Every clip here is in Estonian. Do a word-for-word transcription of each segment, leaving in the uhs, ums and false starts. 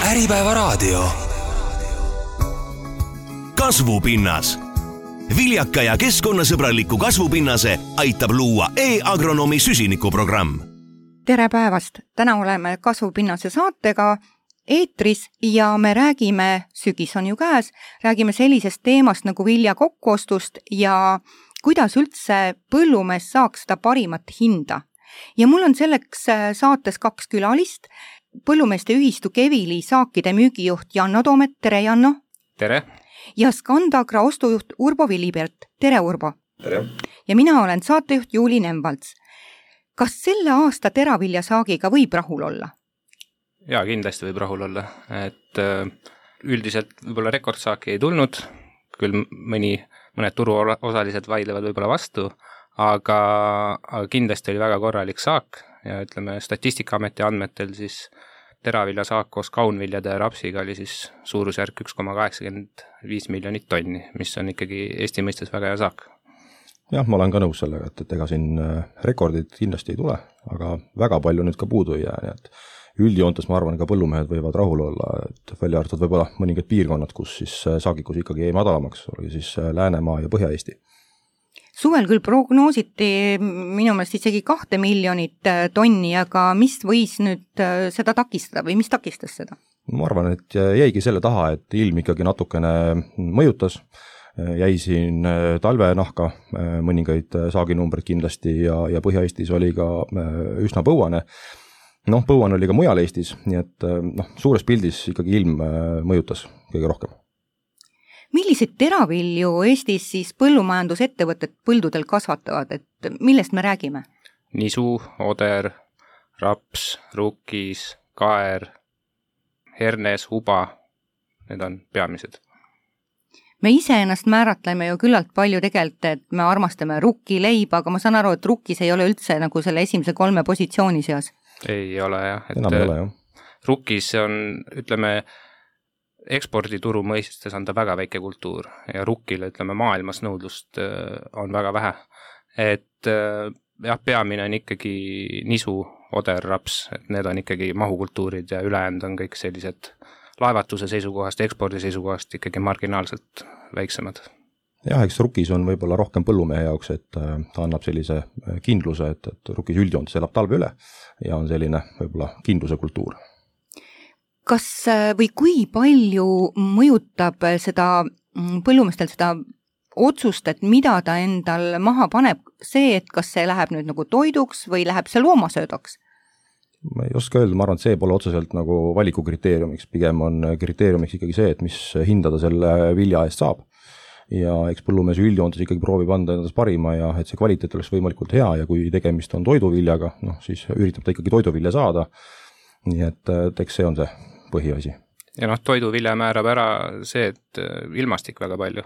Äripäevaraadio. Kasvupinnas. Viljaka ja keskkonnasõbraliku kasvupinnase aitab luua e-agronomi süsinikuprogramm. Tere päevast! Täna oleme Kasvupinnase saatega eetris ja me räägime, sügis on ju käes, räägime sellisest teemast nagu vilja kokkuostust ja kuidas üldse põllumees saaks seda parimat hinda. Ja mul on selleks saates kaks külalist, põllumeeste ühistu Kevili saakide müügijuht Janno Toomet, tere Janno! Tere! Ja Scandagra ostujuht Urbo Villibert, tere Urbo! Tere! Ja mina olen saatejuht Juuli Nemvalts. Kas selle aasta teraviljasaagiga võib rahul olla? Jaa, kindlasti võib rahul olla. Et üldiselt võib-olla rekordsaaki ei tulnud, küll mõni, mõned turuosalised vaidlevad võib-olla vastu, aga, aga kindlasti oli väga korralik saak ja ütleme Statistikaameti andmetel siis teraviljasaak koos kaunviljade ja rapsiga oli siis suurusjärk üks koma kaheksakümmend viis miljonit tonni, mis on ikkagi Eesti mõistes väga hea saak. Jah, ma olen ka nõus sellega, et, et ega siin rekordid kindlasti ei tule, aga väga palju nüüd ka puudu ei jää, nii et üldjoontes ma arvan, ka põllumehed võivad rahul olla, et välja arvatud võib-olla mõningad piirkonnad, kus siis saagikus ikkagi jäi madalamaks, oli siis Läänemaa ja Põhja-Eesti. Suvel küll prognoositi minu meelest isegi kahte miljonit tonni, aga mis võis nüüd seda takistada või mis takistas seda? Ma arvan, et jäigi selle taha, et ilm ikkagi natukene mõjutas, jäi siin talvenahka mõningaid saaginumbreid kindlasti ja, ja Põhja-Eestis oli ka üsna põuane. Noh, põuane oli ka mujal Eestis, nii et noh, suures pildis ikkagi ilm mõjutas kõige rohkem. Millised teravilju Eestis siis põllumajandusettevõtted põldudel kasvatavad, et millest me räägime? Nisu, oder, raps, rukkis, kaer, hernes, huba, need on peamised. Me ise ennast määratleme ju küllalt palju tegelikult, et me armastame rukki leiba, aga ma saan aru, et rukkis ei ole üldse nagu selle esimese kolme positsiooni seas. Ei ole jah. Et enam ei ole jah. Rukkis on, ütleme, ekspordituru mõistes on ta väga väike kultuur ja rukkile, ütleme, maailmas nõudlust on väga vähe. Et jah, peamine on ikkagi nisu, oder, raps, et need on ikkagi mahukultuurid ja ülejäänud on kõik sellised laevatuse seisukohast, ekspordi seisukohast ikkagi marginaalselt väiksemad. Jah, eks rukkis on võib-olla rohkem põllumehe jaoks, et ta annab sellise kindluse, et, et rukkis üldjoontes elab talve üle ja on selline võib-olla kindluse kultuur. Kas või kui palju mõjutab seda põllumeestel seda otsust, et mida ta endal maha paneb, see, et kas see läheb nüüd nagu toiduks või läheb see loomasöödaks? Ma ei oska öelda, ma arvan, et see pole otseselt nagu valiku kriteeriumiks, pigem on kriteeriumiks ikkagi see, et mis hindada selle vilja eest saab. Ja eks põllumees üldjoontes ikkagi proovib anda endast parima ja et see kvaliteet oleks võimalikult hea ja kui tegemist on toiduviljaga, noh siis üritab ta ikkagi toiduvilja saada, nii et eks see on see põhiasi. Ja noh, toiduvilja määrab ära see, et ilmastik väga palju,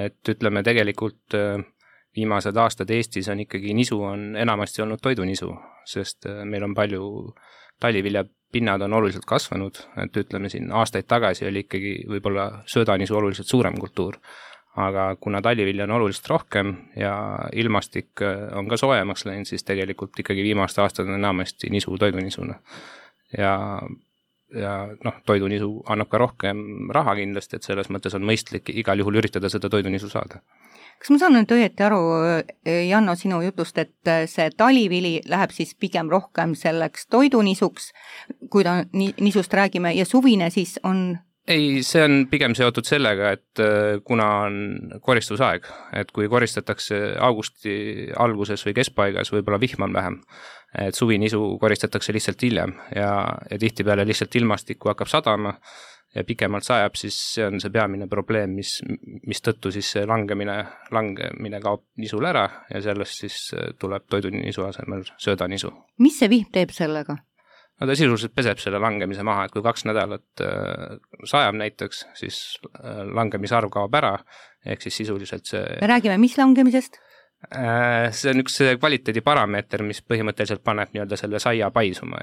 et ütleme tegelikult viimased aastad Eestis on ikkagi nisu on enamasti olnud toidunisu, sest meil on palju talivilja pinnad on oluliselt kasvanud, et ütleme siin aastaid tagasi oli ikkagi võib-olla söödanisu oluliselt suurem kultuur, aga kuna talivilja on oluliselt rohkem ja ilmastik on ka soojemaks läinud, siis tegelikult ikkagi viimaste aastad on enamasti nisu toidunisuna. Ja, ja noh, toidunisu annab ka rohkem raha kindlasti, et selles mõttes on mõistlik igal juhul üritada seda toidunisu saada. Kas ma saan nüüd õieti aru, Janno, sinu jutust, et see talivili läheb siis pigem rohkem selleks toidunisuks, kui ta nisust räägime, ja suvine siis on... Ei, see on pigem seotud sellega, et kuna on koristusaeg, et kui koristatakse augusti alguses või keskpaigas, võib-olla vihm on vähem, et suvinisu koristatakse lihtsalt hiljem ja, ja tihtipeale lihtsalt ilmastikku hakkab sadama ja pikemalt sajab, siis see on see peamine probleem, mis, mis tõttu siis see langemine, langemine kaob nisul ära ja sellest siis tuleb toidunisu asemel söödanisu. Mis see vihm teeb sellega? No ta sisuliselt peseb selle langemise maha, et kui kaks nädalat sajab näiteks, siis langemise arv kaob ära, ehk siis sisuliselt see... Me räägime, mis langemisest? See on üks kvaliteediparameeter, mis põhimõtteliselt paneb nii-öelda selle saia paisuma.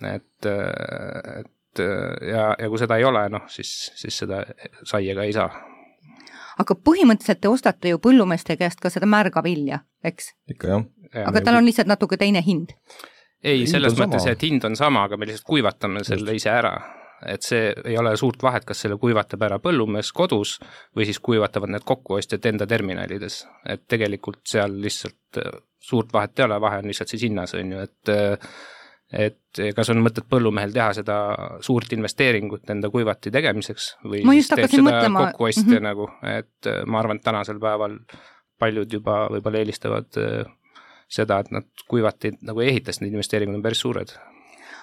Et, et ja, ja kui seda ei ole, noh, siis, siis seda saiega ei saa. Aga põhimõtteliselt te ostate ju põllumeeste käest ka seda märga vilja, eks? Ikka jah. Aga tal on lihtsalt natuke teine hind. Ei, selles mõttes, et hind on sama, aga me lihtsalt kuivatame selle ise ära. et see ei ole suurt vahet, kas selle kuivatab ära põllumees kodus või siis kuivatavad need kokkuostjad enda terminalides, et tegelikult seal lihtsalt suurt vahet ei ole, vahe on lihtsalt siis hinnas, on ju, et et kas on mõtet põllumehel teha seda suurt investeeringut enda kuivati tegemiseks või ma siis teeb seda mõtlema. kokkuostja mm-hmm. nagu, et ma arvan, et tänasel päeval paljud juba võib-olla eelistavad seda, et nad kuivati nagu ehitas, need investeeringud on päris suured.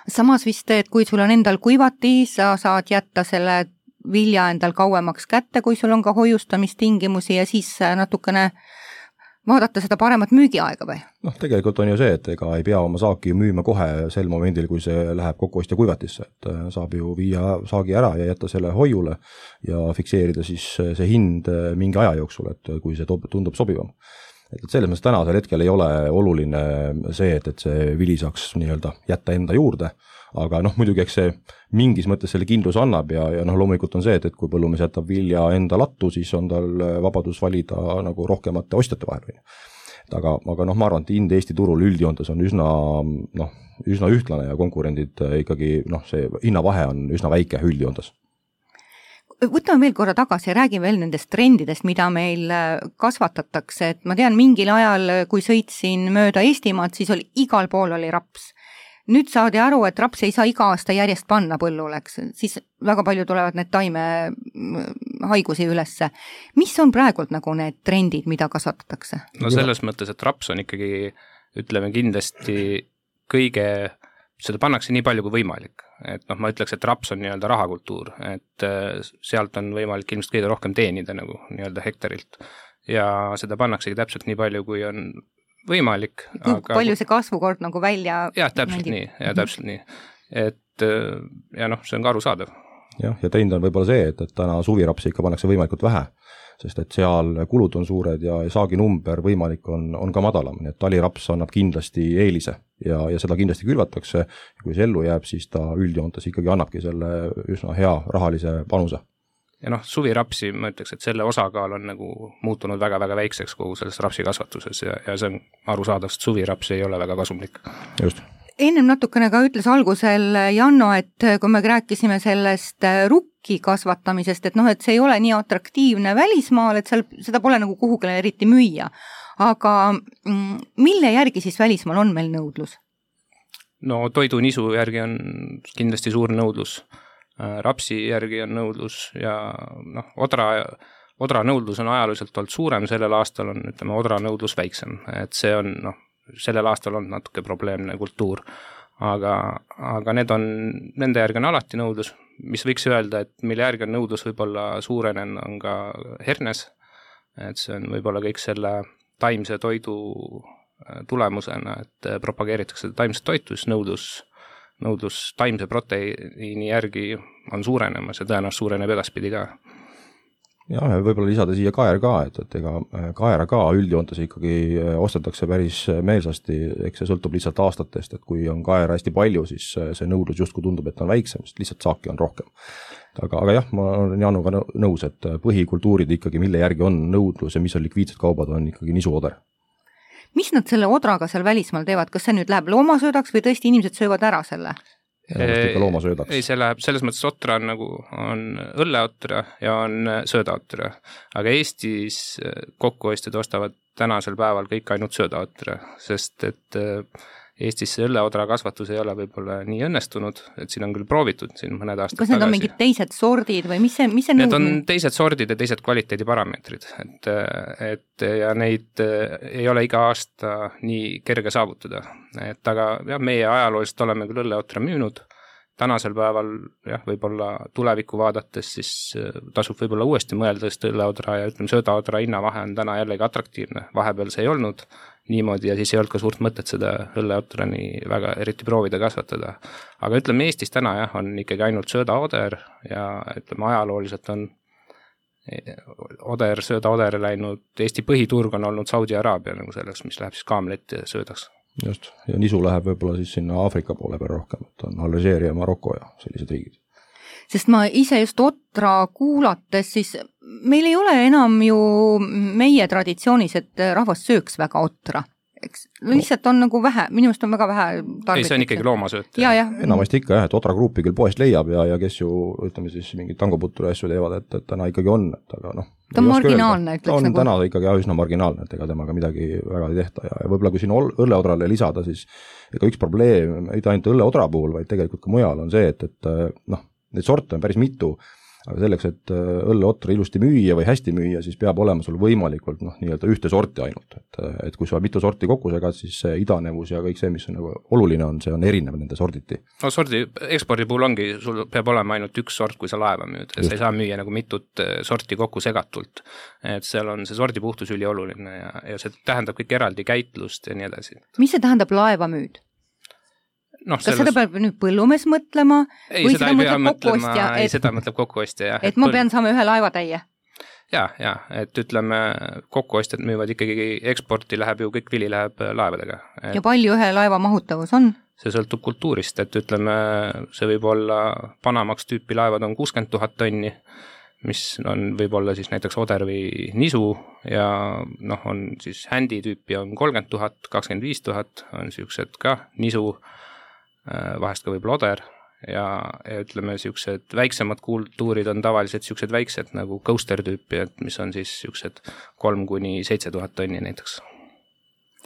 Samas vist, et kui sul on endal kuivati, sa saad jätta selle vilja endal kauemaks kätte, kui sul on ka hoiustamistingimusi ja siis natukene vaadata seda paremat müügiaega või? Noh, tegelikult on ju see, et ega ei pea oma saaki müüma kohe sel momendil, kui see läheb kokkuostja kuivatisse, et saab ju viia saagi ära ja jätta selle hoiule ja fikseerida siis see hind mingi aja jooksul, et kui see tundub sobivam. Et selles mõttes tänasel hetkel ei ole oluline see, et, et see vili saaks nii-öelda jätta enda juurde, aga noh, muidugi eks see mingis mõttes selle kindlus annab ja, ja noh, loomulikult on see, et, et kui põllumees jätab vilja enda lattu, siis on tal vabadus valida nagu rohkemate ostjate vahel. Aga, aga noh, ma arvan, et hind Eesti turul üldjoontes on üsna, noh, üsna ühtlane ja konkurendid ikkagi, noh, see hinnavahe on üsna väike üldjoontes. Võtame veel korra tagasi ja räägime veel nendest trendidest, mida meil kasvatatakse, et ma tean, mingil ajal, kui sõitsin mööda Eestimaad, siis oli igal pool oli raps. Nüüd saadi aru, et raps ei saa iga aasta järjest panna põlluleks, siis väga palju tulevad need taime haigusi ülesse. Mis on praegult nagu need trendid, mida kasvatatakse? No selles mõttes, et raps on ikkagi, ütleme kindlasti kõige, seda pannakse nii palju kui võimalik. Et noh, ma ütleks, et raps on nii-öelda rahakultuur, et sealt on võimalik ilmselt kõige rohkem teenida nagu nii-öelda hektarilt. Ja seda pannaksegi täpselt nii palju, kui on võimalik. Kui aga... palju see kasvukord nagu välja... Jah, täpselt mängib. nii, ja täpselt nii. Et ja noh, see on ka arusaadav. Jah, ja trend on võib-olla see, et, et täna suvirapsi ikka pannakse võimalikult vähe, sest et seal kulud on suured ja saagi number võimalik on, on ka madalam, nii et taliraps annab kindlasti eelise ja, ja seda kindlasti külvatakse. Kui see ellu jääb, siis ta üldjoontes ikkagi annabki selle üsna hea rahalise panuse. Ja noh, suvirapsi, ma ütleks, et selle osakaal on nagu muutunud väga-väga väikseks kogu selles rapsi kasvatuses ja, ja see on arusaadav, et suviraps ei ole väga kasumlik. Just. Ennem natukene ka ütles algusel Janno, et kui me rääkisime sellest rukki kasvatamisest, et noh, et see ei ole nii atraktiivne välismaal, et seal, seda pole nagu kuhugile eriti müüa. Aga mille järgi siis välismaal on meil nõudlus? No toidunisu järgi on kindlasti suur nõudlus. Rapsi järgi on nõudlus ja noh, odra, odra nõudlus on ajalooliselt olnud suurem, sellel aastal on, ütleme, odra nõudlus väiksem, et see on, noh, sellel aastal on natuke probleemne kultuur, aga, aga need on, nende järgi on alati nõudlus, mis võiks öelda, et mille järgi on nõudlus võib-olla suurenen, on ka hernes, et see on võib-olla kõik selle taimse toidu tulemusena, et propageeritakse taimset toitu, siis nõudlus nõudlus taimse proteiini järgi on suurenemas ja tõenäoliselt suureneb edaspidi ka. Jah, võib-olla lisada siia kaer ka, et, et ega kaera ka üldjoontes ikkagi ostetakse päris meelsasti, eks see sõltub lihtsalt aastatest, et kui on kaera hästi palju, siis see nõudlus justkui tundub, et on väiksem, sest lihtsalt saaki on rohkem. Aga, aga jah, ma olen Januga nõus, et põhikultuurid ikkagi, mille järgi on nõudlus ja mis on likviidsed kaubad, on ikkagi nisuoder. Mis nad selle odraga seal välismaal teevad? Kas see nüüd läheb loomasöödaks või tõesti inimesed söövad ära selle? Loomasöödaks. Ei, see läheb, selles mõttes otra on nagu, on õlleotra ja on söödaotra. Aga Eestis kokkuostjad ostavad tänasel päeval kõik ainult söödaotra, sest et Eestis see õlleodra kasvatus ei ole võib-olla nii õnnestunud, et siin on küll proovitud siin mõned aastad tagasi. Kas need on mingid teised sordid või mis see, mis see Need nõudmine? On teised sordid ja teised kvaliteediparameetrid, et, et ja neid ei ole iga aasta nii kerge saavutada. Et aga jah, meie ajalooliselt oleme küll õlleotra müünud, tänasel päeval jah, võib-olla tulevikku vaadates siis tasub võib-olla uuesti mõelda, sest õlleodra ja ütleme söödaodra hinnavahe on täna jällegi atraktiivne, vahepeal see ei olnud niimoodi ja siis ei olnud ka suurt mõtet seda õlleotrani väga eriti proovida kasvatada. Aga ütleme Eestis täna jah, on ikkagi ainult söödaoder ja ütleme ajalooliselt on oder, söödaoder läinud, Eesti põhiturg on olnud Saudi Araabia nagu selleks, mis läheb siis kaamlet ja söödaks. Just, ja nisu läheb võib-olla siis sinna Aafrika poole peal rohkem, et on Alžeeria, Maroko ja sellised riigid. Sest ma ise just otra kuulates, siis meil ei ole enam ju meie traditsioonis, et rahvas sööks väga otra. eks lihtsalt on nagu vähe, minu meelest on väga vähe tarvitud. Ei, see on ikkagi loomasööt. Ja, ja. Enamasti ikka jah, et Otra Gruupi küll poest leiab ja, ja kes ju, ütleme siis, mingid tangoputture asju teevad, et, et täna ikkagi on, et aga noh. Ta on marginaalne, ütleks on nagu. täna ikkagi üsna marginaalne, et ega temaga midagi väga ei tehta ja, ja võib-olla kui siin õlleodrale lisada, siis ega üks probleem, ei ta ainult õlleodra puhul, vaid tegelikult ka mujal on see, et, et noh, neid sorte on päris mitu, aga selleks, et õlleotra ilusti müüa või hästi müüa, siis peab olema sul võimalikult noh, nii-öelda ühte sorti ainult, et, et kui sa mitu sorti kokku segad, siis see idanevus ja kõik see, mis on nagu oluline on, see on erinev nende sorditi. No sordi, ekspordi puhul ongi, sul peab olema ainult üks sort, kui sa laeva müüd, sa ei saa müüa nagu mitut sorti kokku segatult, et seal on see sordi puhtus üli oluline ja, ja see tähendab kõik eraldi käitlust ja nii edasi. Mis see tähendab laeva müüd? No, kas sellest... seda peab nüüd põllumees mõtlema? Ei, või seda, seda mõtleb kokkuostja? Ei, et... seda mõtleb kokkuostja, jah. Et ma põl... pean saama ühe laevatäie? Ja, ja, et ütleme, kokkuostjad müüvad ikkagi, eksporti läheb ju, kõik vili läheb laevadega. Et... Ja palju ühe laeva mahutavus on? See sõltub kultuurist, et ütleme, see võib olla Panamaks tüüpi laevad on kuuskümmend tuhat tonni, mis on võib-olla siis näiteks oder või nisu ja noh, on siis händi tüüpi on kolmkümmend tuhat, kakskümmend viis tuhat, on siuksed ka nisu, vahest ka võib-olla oder ja, ja ütleme, siuksed väiksemad kultuurid on tavaliselt siuksed väiksed nagu coaster tüüpi, et mis on siis siuksed kolm kuni seitse tuhat tonni näiteks.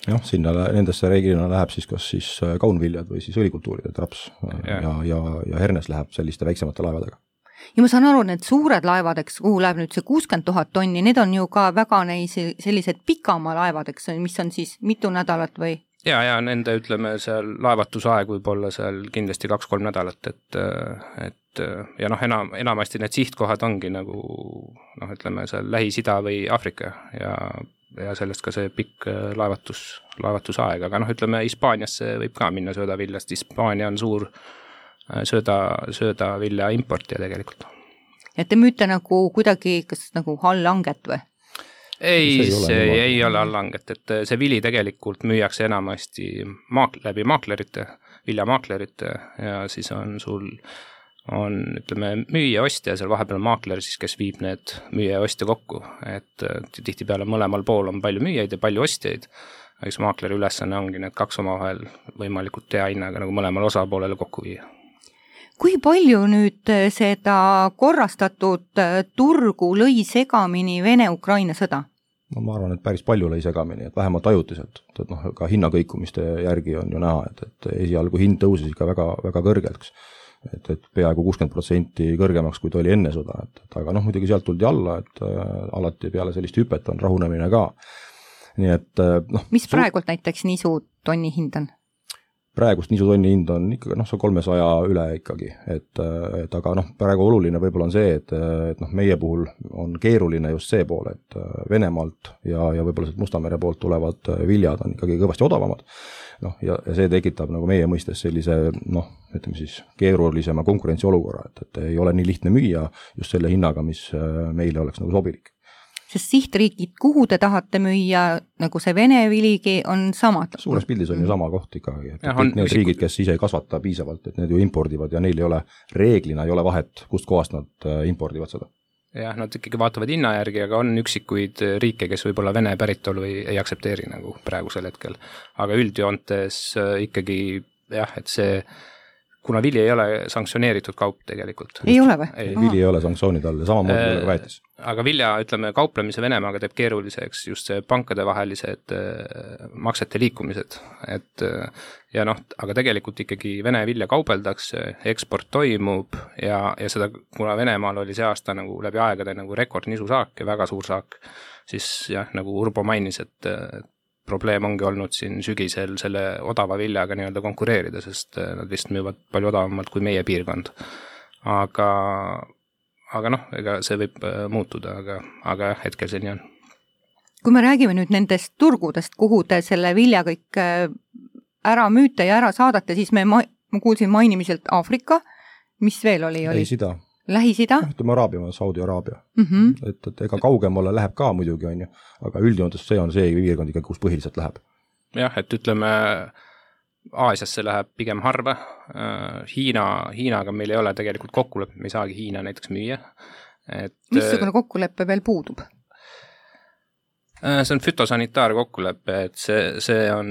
Jah, sinna nendesse reeglina läheb siis kas siis kaunviljad või siis õlikultuurid, et raps ja, ja, ja, ja hernes läheb selliste väiksemate laevadega. Ja ma saan aru, need suured laevadeks, kuhu läheb nüüd see kuuskümmend tuhat tonni, need on ju ka väga neid sellised pikama laevadeks, mis on siis mitu nädalat või? Ja, ja nende, ütleme, seal laevatusaeg võib olla seal kindlasti kaks-kolm nädalat, et, et ja noh, enam, enamasti need sihtkohad ongi nagu, noh, ütleme, seal Lähis-Ida või Aafrika ja, ja sellest ka see pikk laevatus, laevatusaeg, aga noh, ütleme, Hispaaniasse võib ka minna söödaviljast, Hispaania on suur sööda, söödavilja importija tegelikult. Ja te müüte nagu kuidagi, kas nagu halllanget või? Ei, see ei ole, see ei ole allanget, et see vili tegelikult müüakse enamasti maak- läbi maaklerite, viljamaaklerite ja siis on sul, on ütleme müüja ostja, seal vahepeal on maakler siis, kes viib need müüja ja ostja kokku, et tihti peale mõlemal pool on palju müüjaid ja palju ostjaid, eks maakleri ülesanne ongi need kaks omavahel võimalikult hea hinnaga nagu mõlemal osapoolele kokku viia. Kui palju nüüd seda korrastatud turgu lõi segamini Vene-Ukraina sõda? No ma arvan, et päris palju lõi segamini, et vähemalt ajutiselt, et noh, ka hinnakõikumiste järgi on ju näha, et, et esialgu hind tõusis ikka väga, väga kõrgeks, et, et peaaegu kuuskümmend protsenti kõrgemaks, kui ta oli enne sõda, et, et aga noh, muidugi sealt tuldi alla, et äh, alati peale sellist hüpet on rahunemine ka. Nii et äh, noh. Mis praegult su... näiteks nisu tonni hind on? Praegust niisutonni hind on ikkagi noh, see kolmesaja üle ikkagi, et, et aga noh, praegu oluline võib-olla on see, et, et noh, meie puhul on keeruline just see pool, et Venemaalt ja, ja võib-olla sealt Musta mere poolt tulevad viljad on ikkagi kõvasti odavamad, noh, ja, ja see tekitab nagu meie mõistes sellise noh, ütleme siis keerulisema konkurentsiolukorra, et, et ei ole nii lihtne müüa just selle hinnaga, mis meile oleks nagu sobilik. Sest sihtriigid, kuhu te tahate müüa, nagu see Vene viligi on samad? Suures pildis on ju sama koht ikkagi, et ja, kõik need üksikud... riigid, kes ise ei kasvata piisavalt, et need ju impordivad ja neil ei ole, reeglina ei ole vahet, kust kohast nad impordivad seda. Jah, nad ikkagi vaatavad hinna järgi, aga on üksikuid riike, kes võib-olla Vene päritolu ei, ei aksepteeri nagu praegusel hetkel. Aga üldjoontes ikkagi jah, et see kuna vili ei ole sanktsioneeritud kaup tegelikult. Ei ole või? Ei, vili ei ole sanktsioonid all ja samamoodi ei ole ka väetis. Aga vilja, ütleme, kauplemise Venemaaga teeb keeruliseks just see pankade vahelised maksete liikumised. Et, ja noh, aga tegelikult ikkagi Vene vilja kaubeldakse, eksport toimub ja, ja seda, kuna Venemaal oli see aasta nagu läbi aegade nagu rekordnisu saak ja väga suur saak, siis jah, nagu Urbo mainis, et probleem ongi olnud siin sügisel selle odava viljaga nii-öelda konkureerida, sest nad vist müüvad palju odavamalt kui meie piirkond. Aga, aga noh, ega see võib muutuda, aga, aga hetkel see nii on. Kui me räägime nüüd nendest turgudest, kuhu te selle vilja kõik ära müüte ja ära saadate, siis me, ma, ma kuulsin mainimiselt Aafrika, mis veel oli? oli? Lähis-Ida. Lähis-Ida? Ütleme Araabia, Saudi-Araabia. Mm -hmm. et, et ega kaugemale läheb ka muidugi, on ju, aga üldjoontes see on see piirkond ikka, kus põhiliselt läheb. Jah, et ütleme, Aasiasse läheb pigem harva. Hiina, Hiinaga meil ei ole tegelikult kokkuleppe, me ei saagi Hiina näiteks müüa. Et, missugune kokkuleppe veel puudub? See on fütosanitaarkokkulepe, et see, see on,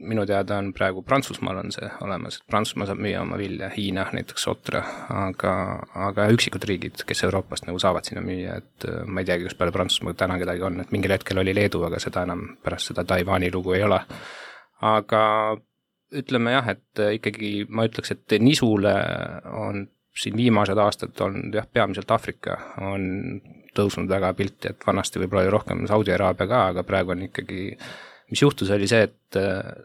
minu teada on praegu Prantsusmaal on see olemas, et Prantsusmaa saab müüa oma vilja, Hiina näiteks otra, aga, aga üksikud riigid, kes Euroopast nagu saavad sinna müüa, et ma ei teagi, kas peale Prantsusmaa täna kedagi on, et mingil hetkel oli Leedu, aga seda enam pärast seda Taiwani lugu ei ole. Aga ütleme jah, et ikkagi ma ütleks, et nisule on siin viimased aastad on jah, peamiselt Afrika on tõusnud väga pilti, et vanasti võib-olla oli rohkem Saudi Araabia ka, aga praegu on ikkagi, mis juhtus oli see, et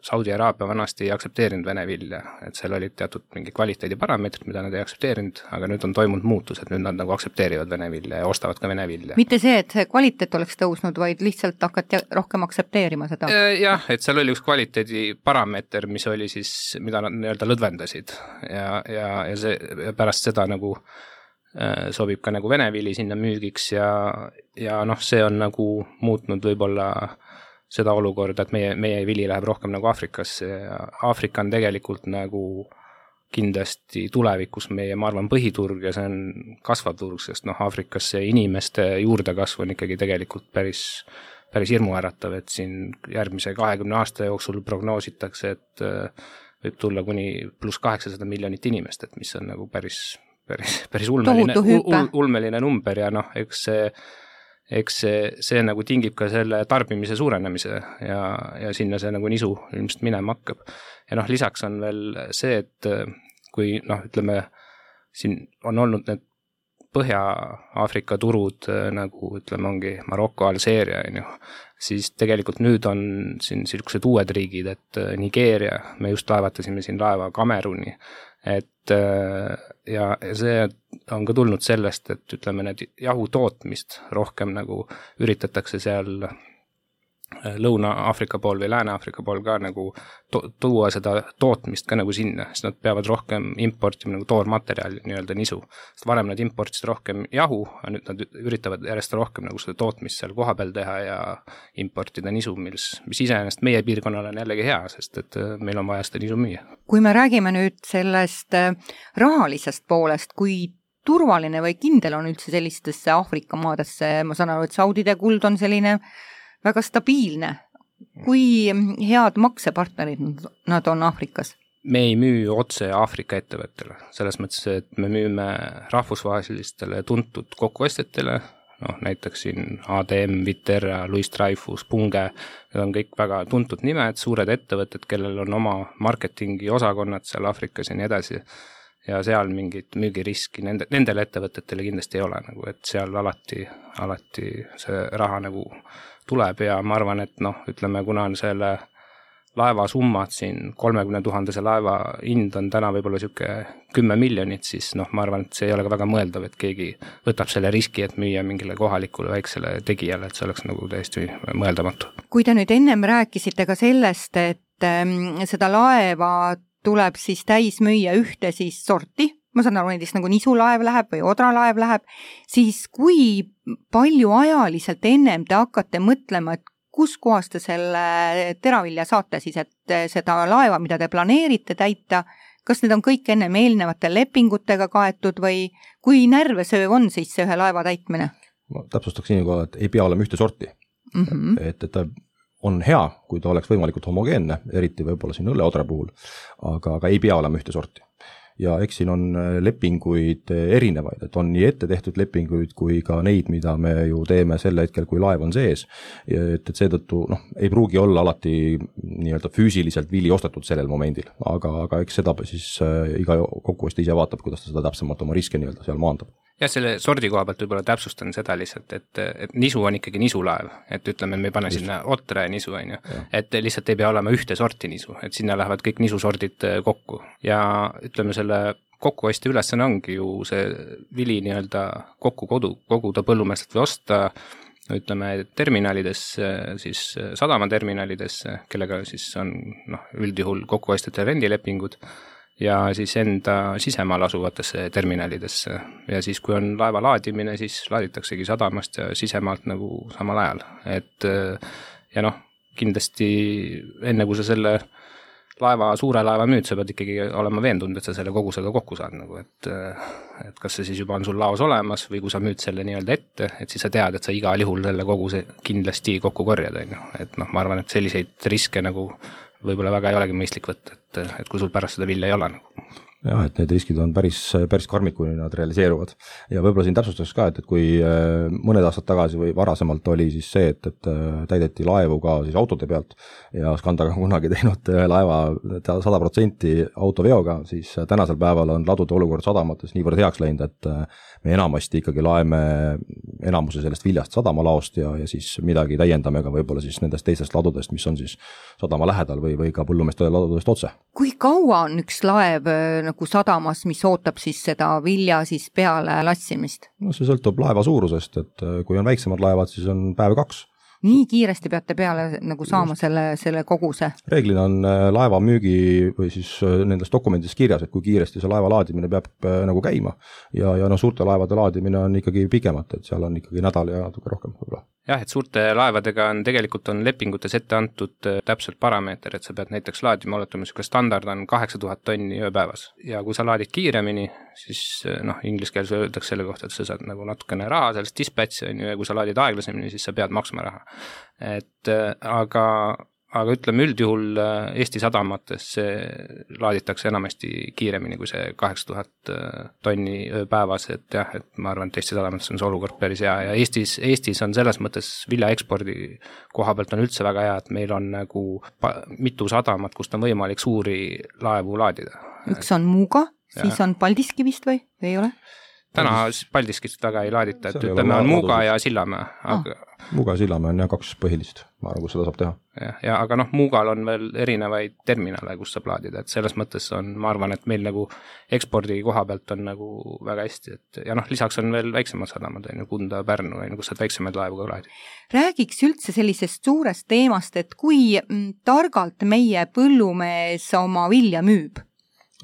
Saudi Araabia vanasti ei aktsepteerinud vene vilja, et seal olid teatud mingi kvaliteediparameetrid, mida nad ei aktsepteerinud, aga nüüd on toimunud muutus, et nüüd nad nagu aktsepteerivad vene vilja ja ostavad ka vene vilja. Mitte see, et see kvaliteet oleks tõusnud, vaid lihtsalt hakati rohkem aktsepteerima seda? Jah, et seal oli üks kvaliteediparameeter, mis oli siis, mida nad nii-öelda lõdvendasid ja, ja, ja see ja pärast seda nagu sobib ka nagu vene vili sinna müügiks ja, ja noh, see on nagu muutnud võib-olla seda olukorda, et meie, meie vili läheb rohkem nagu Afrikasse ja Afrika on tegelikult nagu kindlasti tulevikus meie, ma arvan, põhiturg ja see on kasvav turg, sest noh, Afrikasse inimeste juurdekasv on ikkagi tegelikult päris, päris hirmuäratav, et siin järgmise kahekümne aasta jooksul prognoositakse, et võib tulla kuni pluss kaheksasada miljonit inimest, et mis on nagu päris päris, päris ulmeline, ul, ulmeline number ja noh, eks see, eks see, see nagu tingib ka selle tarbimise suurenemise ja, ja sinna see nagu nisu ilmselt minema hakkab. Ja noh, lisaks on veel see, et kui noh, ütleme, siin on olnud need Põhja-Aafrika turud nagu ütleme, ongi Maroko, Alžeeria, siis tegelikult nüüd on siin sellised uued riigid, et Nigeeria, me just laevatasime siin laeva Kameruni, et ja see on ka tulnud sellest, et ütleme, need jahu tootmist rohkem nagu üritatakse seal Lõuna-Aafrika pool või Lääne-Aafrika pool ka nagu to- tuua seda tootmist ka nagu sinna, sest nad peavad rohkem importima nagu toormaterjali nii-öelda nisu. Sest varem nad importisid rohkem jahu, aga nüüd nad üritavad järjest rohkem nagu seda tootmist seal koha peal teha ja importida nisu, mis, mis iseenesest meie piirkonnal on jällegi hea, sest et meil on vaja seda nisu müüa. Kui me räägime nüüd sellest rahalisest poolest, kui turvaline või kindel on üldse sellistesse Aafrika maadesse, ma saan aru, et Saudide kuld on selline väga stabiilne. Kui head maksepartnerid nad on Aafrikas? Me ei müü otse Aafrika ettevõttele. Selles mõttes, et me müüme rahvusvahelistele tuntud kokkuostjatele, noh, näiteks siin A D M, Viterra, Louis Dreyfus, Bunge, need on kõik väga tuntud nimed, suured ettevõtted, kellel on oma marketingi osakonnad seal Aafrikas ja nii edasi. Ja seal mingit müügiriski nende, nendele ettevõtetele kindlasti ei ole, nagu, et seal alati, alati see raha nagu tuleb ja ma arvan, et noh, ütleme, kuna on selle laeva summad siin kolmekümne tuhandese laeva hind on täna võib-olla siuke kümme miljonit, siis noh, ma arvan, et see ei ole ka väga mõeldav, et keegi võtab selle riski, et müüa mingile kohalikule väiksele tegijale, et see oleks nagu täiesti mõeldamatu. Kui te nüüd ennem rääkisite ka sellest, et ähm, seda laeva tuleb siis täis müüa ühte siis sorti, ma saan aru, näiteks nagu nisulaev läheb või odralaev läheb, siis kui palju ajaliselt ennem te hakkate mõtlema, et kus kohas te selle teravilja saate siis, et seda laeva, mida te planeerite täita, kas need on kõik ennem eelnevate lepingutega kaetud või kui närvesööv on siis see ühe laeva täitmine? Ma täpsustaks nii, et ei pea olema ühte sorti. Mm -hmm. Et, et ta on hea, kui ta oleks võimalikult homogeenne, eriti võib-olla siin õlleodra puhul, aga, aga ei pea olema ühte sorti. Ja eks siin on lepinguid erinevaid, et on nii ette tehtud lepinguid kui ka neid, mida me ju teeme sel hetkel, kui laev on sees. Et, et seetõttu noh, ei pruugi olla alati nii-öelda füüsiliselt vili ostetud sellel momendil, aga, aga eks seda siis iga kokkuostja ise vaatab, kuidas ta seda täpsemalt oma riske nii-öelda seal maandab. Jah, selle sordi koha pealt võib-olla täpsustan seda lihtsalt, et, et nisu on ikkagi nisulaev, et ütleme, me ei pane Just. sinna otre ja nisu, on ju. Et lihtsalt ei pea olema ühte sorti nisu, et sinna lähevad kõik nisusordid kokku. Ja ütleme, selle kokkuostja ülesanne ongi ju see vili nii-öelda kokku kodu, koguda põllumeestelt või osta, ütleme, terminalidesse, siis sadamaterminalidesse, kellega siis on noh, üldjuhul kokkuostjate rendilepingud, ja siis enda sisemaal asuvatesse terminalidesse. Ja siis, kui on laeva laadimine, siis laaditaksegi sadamast ja sisemaalt nagu samal ajal. Et ja noh, kindlasti enne kui sa selle laeva, suure laeva müüd, sa pead ikkagi olema veendunud, et sa selle kogusega kokku saad nagu, et et kas see siis juba on sul laos olemas või kui sa müüd selle nii-öelda ette, et siis sa tead, et sa igal juhul selle koguse kindlasti kokku korjad, on ju. Et noh, ma arvan, et selliseid riske nagu võib-olla väga ei olegi mõistlik võtta, et, et kui sul pärast seda vilja ei ole nagu. Jah, et need riskid on päris, päris karmid, kui nad realiseeruvad. Ja võib-olla siin täpsustaks ka, et, et kui mõned aastad tagasi või varasemalt oli siis see, et, et täideti laevu ka siis autode pealt ja Skandaga kunagi teinud laeva sada protsenti autoveoga, siis tänasel päeval on ladude olukord sadamates niivõrd heaks läinud, et me enamasti ikkagi laeme enamuse sellest viljast sadamalaost ja, ja siis midagi täiendame ka võib-olla siis nendest teistest ladudest, mis on siis sadama lähedal või, või ka põllumeeste ladudest otse. Kui kaua on üks laev nagu sadamas, mis ootab siis seda vilja siis peale lassimist? No see sõltub laeva suurusest, et kui on väiksemad laevad, siis on päev kaks. Nii kiiresti peate peale nagu saama selle, selle koguse? Reeglina on laeva müügi või siis nendes dokumentides kirjas, et kui kiiresti see laeva laadimine peab nagu käima ja, ja no suurte laevade laadimine on ikkagi pikemat, et seal on ikkagi nädal ja natuke rohkem võib-olla. Jah, et suurte laevadega on tegelikult on lepingutes ette antud täpselt parameeter, et sa pead näiteks laadima, oletame, niisugune standard on kaheksa tuhat tonni ööpäevas ja kui sa laadid kiiremini, siis noh, inglise keeles öeldakse selle kohta, et sa saad nagu natukene raha sellest dispatchi on ju, ja kui sa laadid aeglasemini, siis sa pead maksma raha. Et aga, aga ütleme üldjuhul Eesti sadamates see laaditakse enamasti kiiremini kui see kaheksa tuhat tonni ööpäevas, et jah, et ma arvan, et Eesti sadamates on see olukord päris hea ja Eestis, Eestis on selles mõttes vilja ekspordi koha pealt on üldse väga hea, et meil on nagu mitu sadamat, kust on võimalik suuri laevu laadida. Üks on Muuga, ja. Siis on Paldiski vist või, või ei ole? Täna Paldiskist väga ei laadita, et ütleme on Muuga ja Sillamäe. Aga... Ah. Muuga ja Sillamäe on jah kaks põhilist, ma arvan, kus seda saab teha. Ja, ja aga noh, Muugal on veel erinevaid terminale, kus saab laadida, et selles mõttes on, ma arvan, et meil nagu ekspordi koha pealt on nagu väga hästi, et ja noh, lisaks on veel väiksemad sadamad, on ju Kunda, Pärnu, kus saad väiksemaid laevu ka laadida. Räägiks üldse sellisest suurest teemast, et kui targalt meie põllumees oma vilja müüb?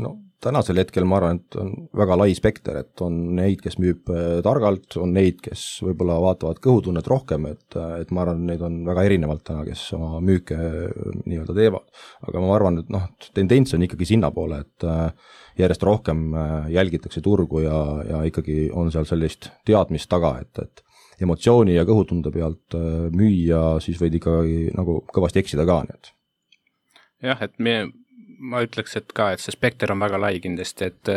No tänasel hetkel ma arvan, et on väga lai spekter, et on neid, kes müüb targalt, on neid, kes võib-olla vaatavad kõhutunnet rohkem, et, et ma arvan, neid on väga erinevalt täna, kes oma müüke nii-öelda teevad. Aga ma arvan, et noh, tendents on ikkagi sinna poole, et järjest rohkem jälgitakse turgu ja, ja ikkagi on seal sellist teadmist taga, et, et emotsiooni ja kõhutunde pealt müüa, siis võid ikkagi nagu kõvasti eksida ka. Nii et. Jah, et me ma ütleks, et ka, et see spekter on väga lai kindlasti, et,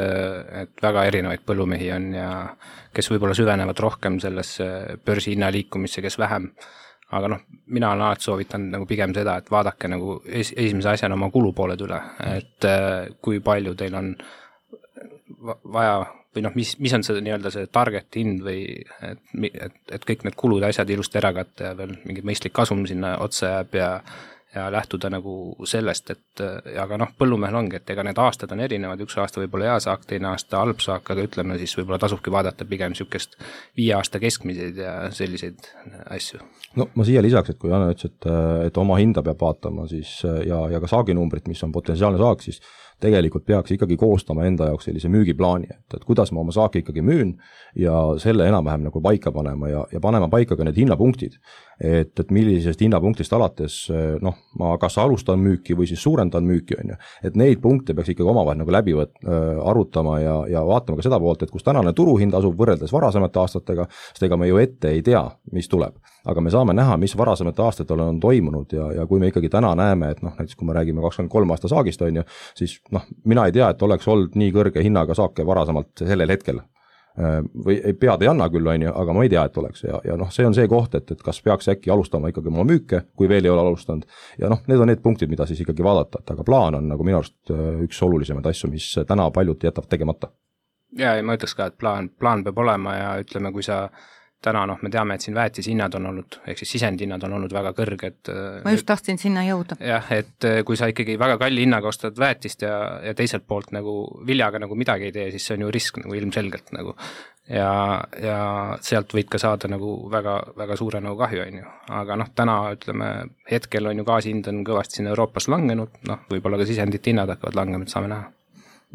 et väga erinevaid põllumehi on ja kes võib-olla süvenevad rohkem sellesse börsi hinna liikumisse, kes vähem. Aga noh, mina olen alati soovitanud nagu pigem seda, et vaadake nagu es, esimese asjana oma kulupooled üle, et kui palju teil on vaja või noh, mis, mis on see nii-öelda see target hind või et, et, et kõik need kulud asjad ilusti ära katta ja veel mingi mõistlik kasum sinna otsa jääb ja ja lähtuda nagu sellest, et aga noh, põllumehel ongi, et ega need aastad on erinevad, üks aasta võib-olla hea saak, teine aasta halb saak, aga ütleme siis võib-olla tasubki vaadata pigem niisugust viie aasta keskmiseid ja selliseid asju. No ma siia lisaks, et kui Janne ütles, et, et oma hinda peab vaatama siis ja, ja ka saaginumbrit, mis on potentsiaalne saak, siis tegelikult peaks ikkagi koostama enda jaoks sellise müügiplaani, et, et kuidas ma oma saaki ikkagi müün ja selle enam-vähem nagu paika panema ja, ja panema paika ka need hinnapunktid. Et, et millisest hinnapunktist alates, noh, ma kas alustan müüki või siis suurendan müüki, on ju. Et neid punkte peaks ikkagi omavahel nagu läbi võt, äh, arutama ja, ja vaatama ka seda poolt, et kus tänane turuhind asub võrreldes varasemate aastatega, sest ega me ju ette ei tea, mis tuleb. Aga me saame näha, mis varasemate aastatel on toimunud ja, ja kui me ikkagi täna näeme, et noh, näiteks kui me räägime kakskümmend kolm aasta saagist, on ju, siis noh, mina ei tea, et oleks olnud nii kõrge hinnaga saake varasemalt sellel hetkel. Või ei pead ei anna küll, on ju, aga ma ei tea, et oleks ja, ja noh, see on see koht, et, et kas peaks äkki alustama ikkagi oma müüke, kui veel ei ole alustanud ja noh, need on need punktid, mida siis ikkagi vaadata, et aga plaan on nagu minu arust üks olulisemaid asju, mis täna paljud jätab tegemata. Ja, ja ma ütleks ka, et plaan, plaan peab olema ja ütleme, kui sa täna noh, me teame, et siin väetishinnad on olnud, ehk siis sisendhinnad on olnud väga kõrged. Ma just tahtsin sinna jõuda. Jah, et kui sa ikkagi väga kalli hinnaga ostad väetist ja, ja teiselt poolt nagu viljaga nagu midagi ei tee, siis see on ju risk nagu ilmselgelt nagu. Ja, ja sealt võid ka saada nagu väga, väga suure nagu kahju, on ju. Aga noh, täna ütleme, hetkel on ju gaasihind on kõvasti siin Euroopas langenud, noh, võib-olla ka sisendit hinnad hakkavad langema, et saame näha.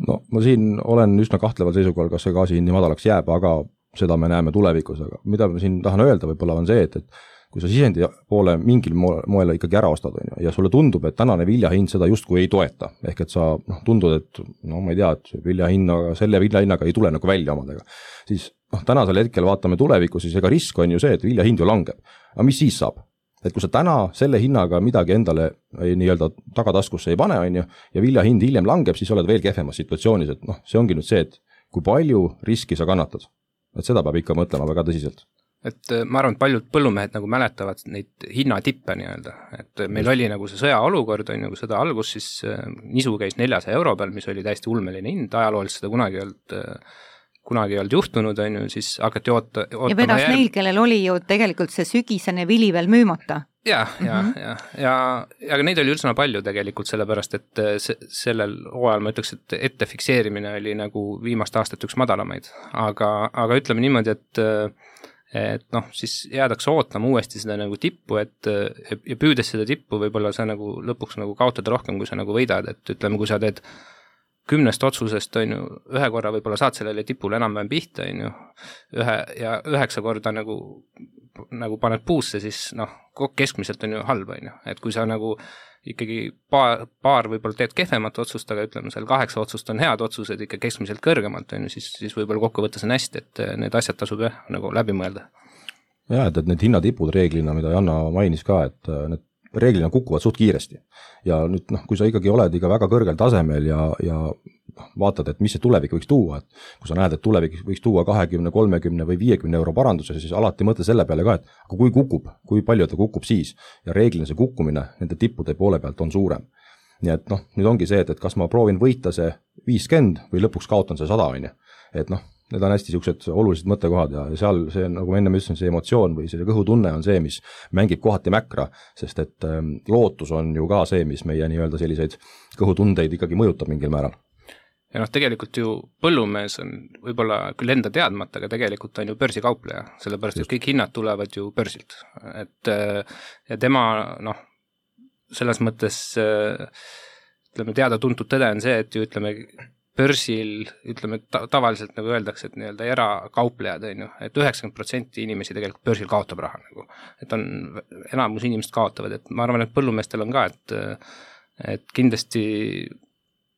No ma siin olen üsna kahtleval seisukohal, kas see gaasihind nii madalaks jääb, aga seda me näeme tulevikus, aga mida ma siin tahan öelda võib-olla on see, et, et kui sa sisendi poole mingil moel ikkagi ära ostad, on ju, ja sulle tundub, et tänane viljahind seda justkui ei toeta, ehk et sa noh, tundud, et no ma ei tea, et viljahinnaga, selle viljahinnaga ei tule nagu välja omadega, siis noh, tänasel hetkel vaatame tulevikku, siis ega risk on ju see, et viljahind ju langeb. Aga mis siis saab? Et kui sa täna selle hinnaga midagi endale nii-öelda tagataskusse ei pane, on ju, ja viljahind hiljem langeb, siis oled veel kehvemas situatsioonis, et noh, see ongi nüüd see, et kui palju riski sa kannatad. Et seda peab ikka mõtlema väga tõsiselt. Et ma arvan, et paljud põllumehed nagu mäletavad neid hinnatippe nii-öelda, et meil oli nagu see sõjaolukord, on nagu seda algus, siis nisu käis neljasaja euro peal, mis oli täiesti ulmeline hind, ajalooliselt seda kunagi ei olnud, kunagi ei olnud juhtunud, on ju, siis hakati oota, ootama ja vedas järg... neil, kellel oli ju tegelikult see sügisene vili veel müümata. Ja, ja, mm -hmm. ja, ja, ja aga neid oli üldse palju tegelikult, sellepärast, et se, sellel hooajal ma ütleks, et ette fikseerimine oli nagu viimast aastat üks madalamaid, aga, aga ütleme niimoodi, et et noh, siis jäädakse ootama uuesti seda nagu tippu, et ja püüdes seda tippu võib-olla sa nagu lõpuks nagu kaotad rohkem, kui sa nagu võidad, et ütleme, kui sa teed kümnest otsusest, on ju, ühe korra võib-olla saad sellele tipule enam-vähem pihta, on ju, ühe ja üheksa korda nagu, nagu paned puusse, siis noh, keskmiselt on ju halb, on ju, et kui sa nagu ikkagi paar, paar võib-olla teed kehvemat otsust, aga ütleme, seal kaheksa otsust on head otsused ikka keskmiselt kõrgemalt, on ju, siis, siis võib-olla kokkuvõttes on hästi, et need asjad tasub jah, nagu läbi mõelda. Ja, et, et need hinnatipud reeglina, mida Janna mainis ka, et need reeglina kukuvad suht kiiresti. Ja nüüd, noh, kui sa ikkagi oled ikka väga kõrgel tasemel ja, ja vaatad, et mis see tulevik võiks tuua, et kui sa näed, et tulevik võiks tuua kakskümmend, kolmkümmend või viiekümne euro paranduse, siis alati mõtle selle peale ka, et kui kukub, kui palju ta kukub siis ja reeglina see kukkumine nende tippude poole pealt on suurem. Nii et noh, nüüd ongi see, et, et kas ma proovin võita see viiskümmend või lõpuks kaotan see sada, on ju. Et noh, need on hästi siuksed olulised mõttekohad ja seal see, nagu ma enne ütlesin, see emotsioon või see kõhutunne on see, mis mängib kohati mäkra, sest et ähm, lootus on ju ka see, mis meie nii-öelda selliseid kõhutundeid ikkagi mõjutab mingil määral. Ja noh, tegelikult ju põllumees on võib-olla küll enda teadmata, aga tegelikult on ju börsikaupleja, sellepärast, et kõik hinnad tulevad ju börsilt. Et ja tema, noh, selles mõttes ütleme, teada-tuntud tõde on see, et ju ütleme, börsil, ütleme, ta- tavaliselt nagu öeldakse, et nii-öelda erakauplejad, on ju, et üheksakümmend protsenti inimesi tegelikult börsil kaotab raha nagu. Et on, enamus inimesed kaotavad, et ma arvan, et põllumeestel on ka, et, et kindlasti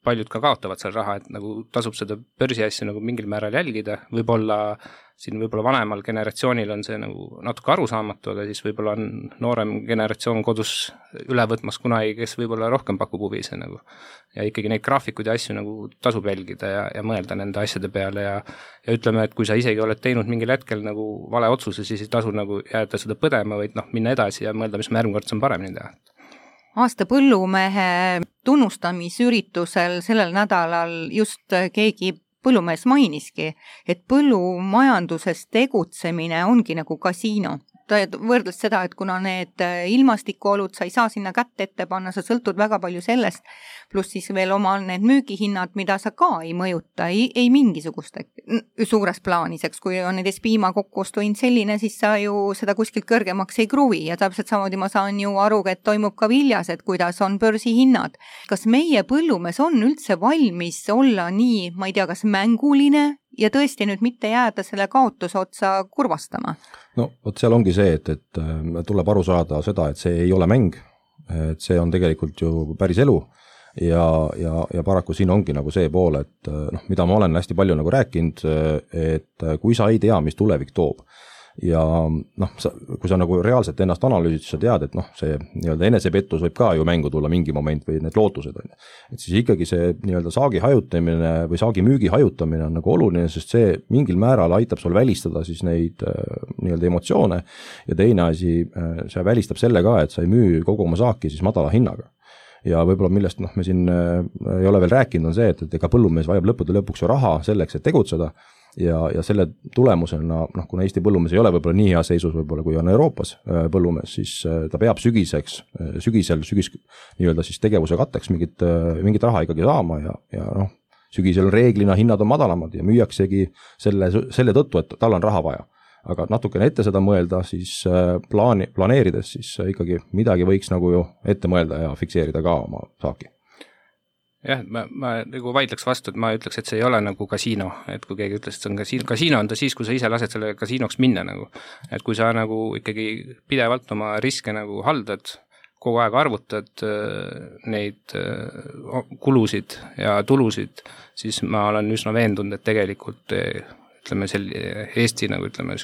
paljud ka kaotavad seal raha, et nagu tasub seda börsi asja nagu mingil määral jälgida, võib-olla siin võib-olla vanemal generatsioonil on see nagu natuke arusaamatu, aga siis võib-olla on noorem generatsioon kodus üle võtmas kunagi, kes võib-olla rohkem pakub huvi see nagu. Ja ikkagi neid graafikuid ja asju nagu tasub jälgida ja, ja mõelda nende asjade peale ja, ja ütleme, et kui sa isegi oled teinud mingil hetkel nagu vale otsuse, siis ei tasu nagu jääda seda põdema, vaid noh, minna edasi ja mõelda, mis ma järgmine kord saan paremini teha. Aasta põllumehe tunnustamisüritusel sellel nädalal just keegi põllumees mainiski, et põllumajanduses tegutsemine ongi nagu kasiino. Ta võrdles seda, et kuna need ilmastikuolud, sa ei saa sinna kätt ette panna, sa sõltud väga palju sellest, pluss siis veel omal need müügihinnad, mida sa ka ei mõjuta, ei, ei mingisugust suures plaaniseks, kui on näiteks piima kokkuostuhind selline, siis sa ju seda kuskilt kõrgemaks ei kruvi ja täpselt samamoodi ma saan ju aru, et toimub ka viljas, et kuidas on börsihinnad. Kas meie põllumees on üldse valmis olla nii, ma ei tea, kas mänguline ja tõesti nüüd mitte jääda selle kaotuse otsa kurvastama? No, vot seal ongi see, et, et tuleb aru saada seda, et see ei ole mäng, et see on tegelikult ju päris elu ja, ja, ja paraku siin ongi nagu see pool, et noh, mida ma olen hästi palju nagu rääkinud, et kui sa ei tea, mis tulevik toob ja noh, kui sa nagu reaalselt ennast analüüsid, sa tead, et noh, see nii-öelda enesepettus võib ka ju mängu tulla mingi moment või need lootused on. Et siis ikkagi see nii-öelda saagi hajutamine või saagi müügi hajutamine on nagu oluline, sest see mingil määral aitab sul välistada siis neid nii-öelda emotsioone ja teine asi, see välistab selle ka, et sa ei müü kogu oma saaki siis madala hinnaga. Ja võib-olla millest noh, me siin ei ole veel rääkinud on see, et, et ega põllumees vajab lõppude lõpuks ju raha selleks, et tegutseda ja, ja selle tulemusena, noh, kuna Eesti põllumees ei ole võib-olla nii hea seisus võib-olla, kui on Euroopas põllumees, siis ta peab sügiseks, sügisel, sügis nii-öelda siis tegevuse katteks mingit, mingit raha ikkagi saama ja, ja noh, sügisel reeglina hinnad on madalamad ja müüaksegi selle, selle tõttu, et tal on raha vaja. Aga natukene ette seda mõelda, siis plaani, planeerides, siis ikkagi midagi võiks nagu ju ette mõelda ja fikseerida ka oma saaki. jah, ma, ma nagu vaidleks vastu, et ma ütleks, et see ei ole nagu kasiino, et kui keegi ütles, et see on kasiino, kasiino on ta siis, kui sa ise lased selle kasiinoks minna nagu, et kui sa nagu ikkagi pidevalt oma riske nagu haldad, kogu aeg arvutad neid kulusid ja tulusid, siis ma olen üsna veendunud, et tegelikult ütleme, sel Eesti nagu ütleme,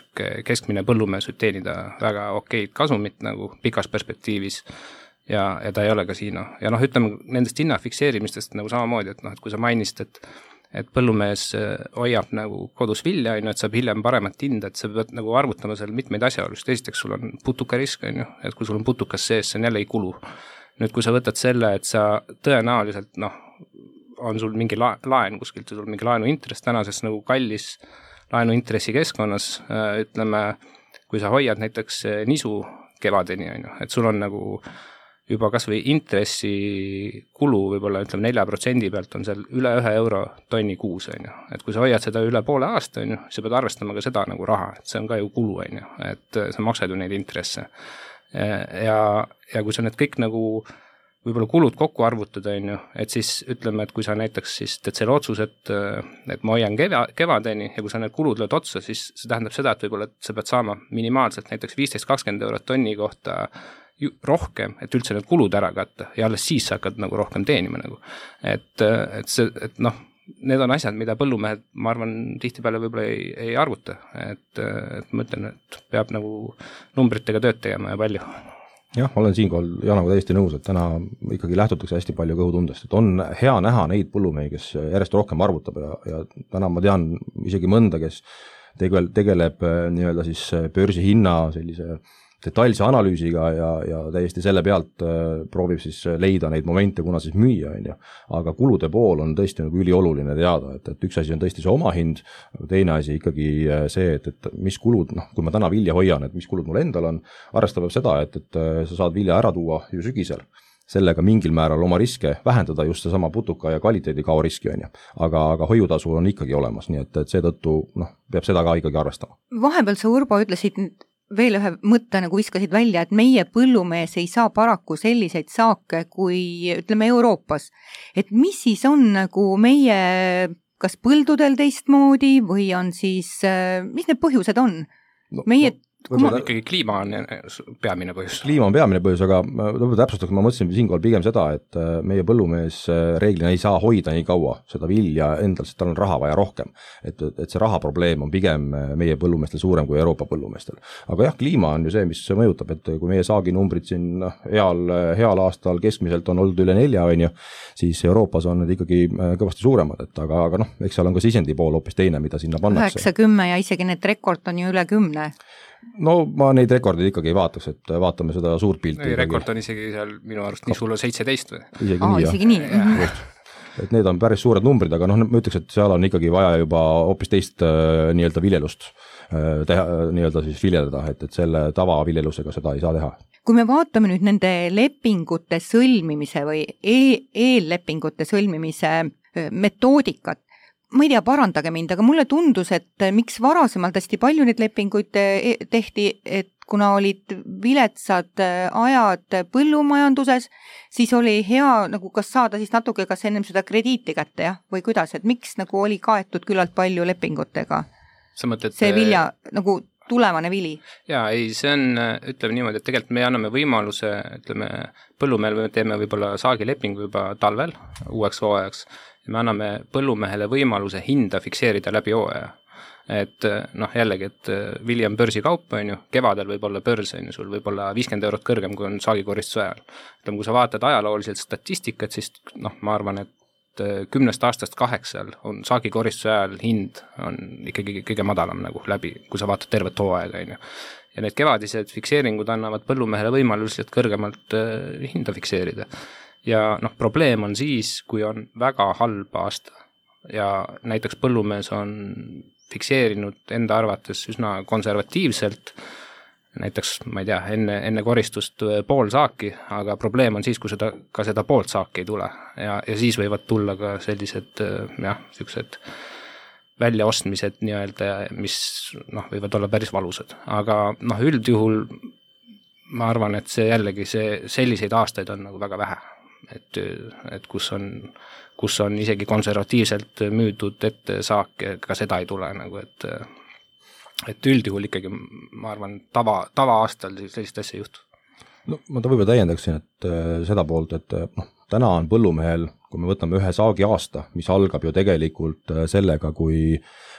keskmine põllumees võib teenida väga okeid kasumit nagu pikas perspektiivis, ja, ja ta ei ole kasiino. Ja noh, ütleme nendest hinna fikseerimistest nagu samamoodi, et noh, et kui sa mainist, et, et põllumees hoiab nagu kodus vilja, et saab hiljem paremat hinda, et sa pead nagu arvutama seal mitmeid asjaolust. Esiteks sul on putukarisk, et kui sul on putukas sees, see on jälle ei kulu. Nüüd, kui sa võtad selle, et sa tõenäoliselt, noh, on sul mingi la- laen kuskilt, sul mingi laenuintress tänases nagu kallis laenuintressi keskkonnas, ütleme, kui sa hoiad näiteks nisu kevadeni, et sul on nagu juba kas või intressi kulu võib-olla ütleme nelja protsendi pealt on seal üle ühe euro tonni kuus, et kui sa hoiad seda üle poole aasta, sa pead arvestama ka seda nagu raha, et see on ka ju kulu, et sa maksad ju neid intresse. Ja, ja kui sa need kõik nagu võib-olla kulud kokku arvutada, et siis ütleme, et kui sa näiteks siis teed selle otsus, et, et ma hoian keva, kevadeni ja kui sa need kulud lööd otsa, siis see tähendab seda, et võib-olla et sa pead saama minimaalselt näiteks viisteist kakskümmend eurot tonni kohta rohkem, et üldse need kulud ära katta ja alles siis sa hakkad nagu rohkem teenima nagu. Et, et see, et noh, need on asjad, mida põllumehed, ma arvan, tihtipeale võib-olla ei, ei arvuta, et, et ma ütlen, et peab nagu numbritega tööd tegema ja palju. Jah, olen siinkohal Janaga täiesti nõus, et täna ikkagi lähtutakse hästi palju kõhutundest, et on hea näha neid põllumehi, kes järjest rohkem arvutab ja, ja täna ma tean isegi mõnda, kes tegeleb, tegeleb nii-öelda siis börsi hinna sellise detailse analüüsiga ja, ja täiesti selle pealt äh, proovib siis leida neid momente, kuna siis müüa, on ju. Aga kulude pool on tõesti nagu ülioluline teada, et, et üks asi on tõesti see oma hind, teine asi ikkagi see, et, et mis kulud, noh, kui ma täna vilja hoian, et mis kulud mul endal on, arvestab seda, et, et sa saad vilja ära tuua ju sügisel, sellega mingil määral oma riske vähendada, just see sama putuka ja kvaliteedi kao riski, on ju. Aga, aga hoiutasu on ikkagi olemas, nii et, et seetõttu noh, peab seda ka ikkagi arvestama. Vahepeal sa, Urbo, ütlesid veel ühe mõtte nagu viskasid välja, et meie põllumees ei saa paraku selliseid saake kui ütleme Euroopas. Et mis siis on nagu meie kas põldudel teistmoodi või on siis, mis need põhjused on? No, meie no. Ma... ikkagi kliima on peamine põhjus. Kliima on peamine põhjus, aga täpsustaks, ma mõtlesin siinkohal pigem seda, et meie põllumees reeglina ei saa hoida nii kaua seda vilja endal, sest tal on raha vaja rohkem. Et, et see raha probleem on pigem meie põllumeestel suurem kui Euroopa põllumeestel. Aga jah, kliima on ju see, mis mõjutab, et kui meie saaginumbrid siin heal, heal aastal keskmiselt on olnud üle nelja, on ju, siis Euroopas on need ikkagi kõvasti suuremad, et aga, aga noh, eks seal on ka sisendi pool hoopis teine, mida sinna pannakse. üheksa kümme ja isegi need rekord on ju üle kümne. No ma neid rekordeid ikkagi ei vaataks, et vaatame seda suurt pilti. Ei, rekord on isegi seal minu arust nii sul on seitseteist või? Isegi Aa, nii, isegi nii. Et need on päris suured numbrid, aga noh, ma ütleks, et seal on ikkagi vaja juba hoopis teist äh, nii-öelda viljelust äh, teha, nii-öelda siis viljeleda, et, et selle tavaviljelusega seda ei saa teha. Kui me vaatame nüüd nende lepingute sõlmimise või e- eellepingute sõlmimise metoodikat, ma ei tea, parandage mind, aga mulle tundus, et miks varasemalt hästi palju neid lepinguid tehti, et kuna olid viletsad ajad põllumajanduses, siis oli hea nagu kas saada siis natuke kas ennem seda krediiti kätte, jah, või kuidas, et miks nagu oli kaetud küllalt palju lepingutega? Sa mõtled, see vilja nagu tulevane vili. Jaa, ei, see on, ütleme niimoodi, et tegelikult me anname võimaluse, ütleme, põllumehel me teeme võib-olla saagilepingu juba talvel uueks hooajaks, ja me anname põllumehele võimaluse hinda fikseerida läbi hooaja. Et noh, jällegi, et vili on börsikaup, on ju, kevadel võib olla börs, on ju, sul võib olla viiskümmend eurot kõrgem, kui on saagikoristuse ajal. Ütleme, kui sa vaatad ajalooliselt statistikat, siis noh, ma arvan, et kümnest aastast kaheksal on saagikoristuse ajal hind on ikkagi kõige madalam nagu läbi, kui sa vaatad tervet hooaega, on ju. Ja need kevadised fikseeringud annavad põllumehele võimalused kõrgemalt hinda fikseerida. Ja noh, probleem on siis, kui on väga halb aasta ja näiteks põllumees on fikseerinud enda arvates üsna konservatiivselt, näiteks, ma ei tea, enne, enne koristust pool saaki, aga probleem on siis, kui seda, ka seda poolt saaki ei tule ja, ja siis võivad tulla ka sellised, jah, sellised väljaostmised nii-öelda, mis noh, võivad olla päris valusad, aga noh, üldjuhul ma arvan, et see jällegi see, selliseid aastaid on nagu väga vähe. et, et kus on, kus on isegi konservatiivselt müüdud ette saake, ka seda ei tule nagu, et et üldjuhul ikkagi, ma arvan, tava, tava aastal sellist asja ei juhtu. No ma ta võib-olla täiendaksin, et seda poolt, et noh, täna on põllumehel, kui me võtame ühe saagi aasta, mis algab ju tegelikult sellega, kui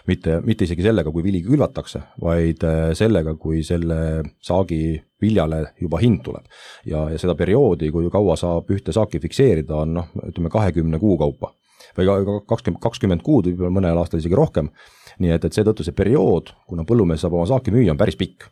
mitte, mitte isegi sellega, kui vili külvatakse, vaid sellega, kui selle saagi viljale juba hind tuleb. Ja, ja seda perioodi, kui kaua saab ühte saaki fikseerida, on noh, ütleme kahekümne kuu kaupa või kakskümmend, kakskümmend kuud, võib-olla mõnel aastal isegi rohkem. Nii et, et seetõttu see periood, kuna põllumees saab oma saaki müüa, on päris pikk.